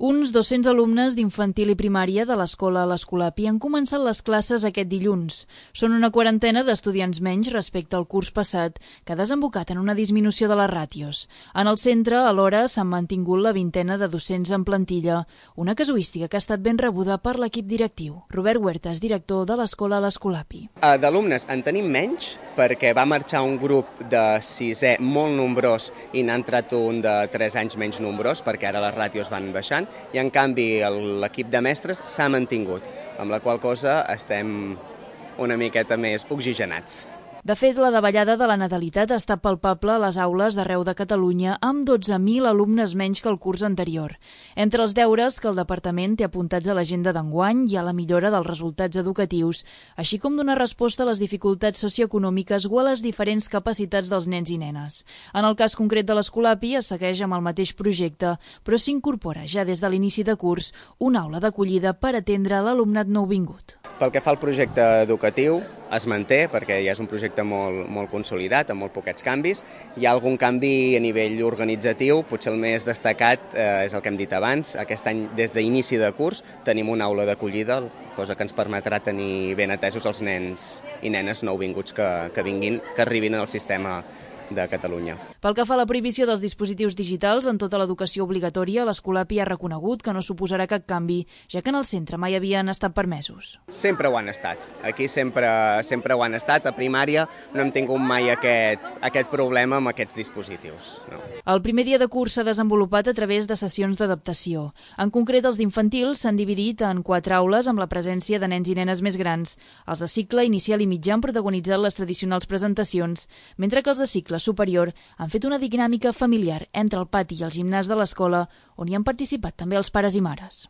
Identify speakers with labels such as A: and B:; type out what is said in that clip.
A: Uns 200 alumnes d'infantil i primària de l'escola l'Escolapi han començat les classes aquest dilluns. Són una quarantena d'estudiants menys respecte al curs passat, que ha desembocat en una disminució de les ràtios. En el centre, alhora, s'han mantingut la vintena de docents en plantilla, una casuística que ha estat ben rebuda per l'equip directiu. Robert Huertas, director de l'escola l'Escolapi.
B: D'alumnes en tenim menys, perquè va marxar un grup de sisè molt nombrós i n'ha entrat un de 3 anys menys nombrós, perquè ara les ràtios van baixant, i en canvi l'equip de mestres s'ha mantingut, amb la qual cosa estem una miqueta més oxigenats.
A: De fet, la davallada de la natalitat ha estat palpable a les aules d'arreu de Catalunya, amb 12.000 alumnes menys que el curs anterior. Entre els deures que el departament té apuntats a l'agenda d'enguany hi ha la millora dels resultats educatius, així com donar resposta a les dificultats socioeconòmiques o a les diferents capacitats dels nens i nenes. En el cas concret de l'Escolapi es segueix amb el mateix projecte, però s'incorpora ja des de l'inici de curs una aula d'acollida per atendre l'alumnat nouvingut.
B: Pel que fa al projecte educatiu, es manté, perquè ja és un projecte molt consolidat, amb molt poquets canvis. Hi ha algun canvi a nivell organitzatiu, potser el més destacat és el que hem dit abans. Aquest any, des d'inici de curs, tenim una aula d'acollida, cosa que ens permetrà tenir ben atesos els nens i nenes nouvinguts que arribin al sistema de Catalunya.
A: Pel que fa a la prohibició dels dispositius digitals en tota l'educació obligatòria, l'Escolapi ha reconegut que no suposarà cap canvi, ja que en el centre mai havien estat permesos.
B: Sempre ho han estat. Aquí sempre ho han estat. A primària no hem tingut mai aquest problema amb aquests dispositius. No.
A: El primer dia de curs s'ha desenvolupat a través de sessions d'adaptació. En concret, els d'infantil s'han dividit en 4 aules amb la presència de nens i nenes més grans. Els de cicle inicial i mitjà han protagonitzat les tradicionals presentacions, mentre que els de cicle superior han fet una dinàmica familiar entre el pati i el gimnàs de l'escola, on hi han participat també els pares i mares.